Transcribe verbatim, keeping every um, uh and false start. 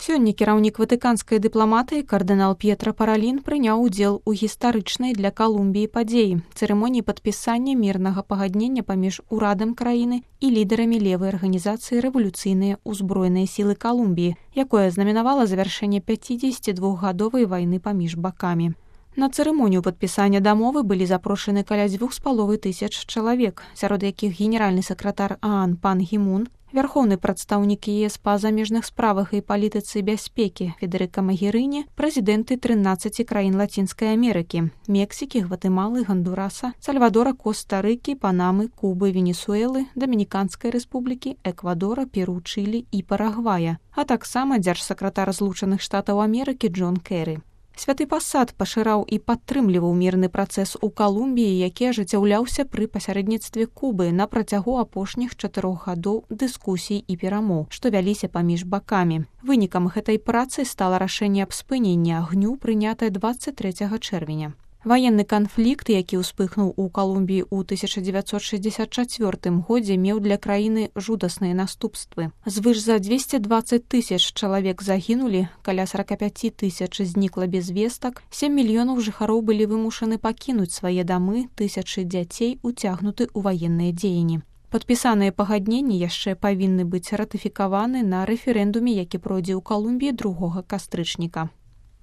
Сёння кіраўнік ватыканскай дыпламатыі кардынал П'етра Паралін прыняў удзел у гістарычнай для Калумбіі падзеі цырымоніі падпісання мірнага пагаднення паміж урадам краіны і лідарамі левай арганізацыі рэвалюцыйныя ўзброеныя сілы Калумбіі, якое знамінавала завяршэнне пяцідзесяцідвухгадовай вайны паміж бакамі. На цырымонію падпісання дамовы былі запрошаны каля дзвюх з паловай тысяч чалавек, сярод якіх генеральны сакратар ААН пан Гімун, вярхоўны прадстаўнік ЕС па замежных справах і палітыцы бяспекі Федэрыка Магерыні, прэзідэнты трынаццаці краін Лацінскай Амерыкі, Мексікі, Гватэмалы, Гандураса, Сальвадора, Коста-Рыкі, Панамы, Кубы, Венесуэлы, Дамініканскай рэспублікі, Эквадора, Перу, Чылі і Парагвая, а таксама дзяржсакратар Злучаных Штатаў Амерыкі Джон Кэры. Святы пасад пашыраў і падтрымліваў мірны працэс у Калумбіі, які ажыццяўляўся пры пасярэдніцтве Кубы на працягу апошніх чатырох гадоў дыскусій і перамоў, што вяліся паміж бакамі. Вынікам гэтай працы стала рашэнне аб спыненні агню, прынятае дваццаць трэцяга чэрвеня. Ваенны канфлікт, які ўспыхнуў у Калумбіі ў тысяча дзевяцьсот шэсцьдзесят чацвёртым годзе, меў для краіны жудасныя наступствы. Звыш за дзвесце дваццаць тысяч чалавек загінулі, каля сорок пять тысяч знікла без вестак, сем мільёнаў жыхароў былі вымушаны пакінуць свае дамы, тысячы дзяцей уцягнуты ў ваенныя дзеянні. Падпісаныя пагадненні яшчэ павінны быць ратыфікаваны на рэферэндуме, які пройдзе ў Калумбіі другога кастрычніка.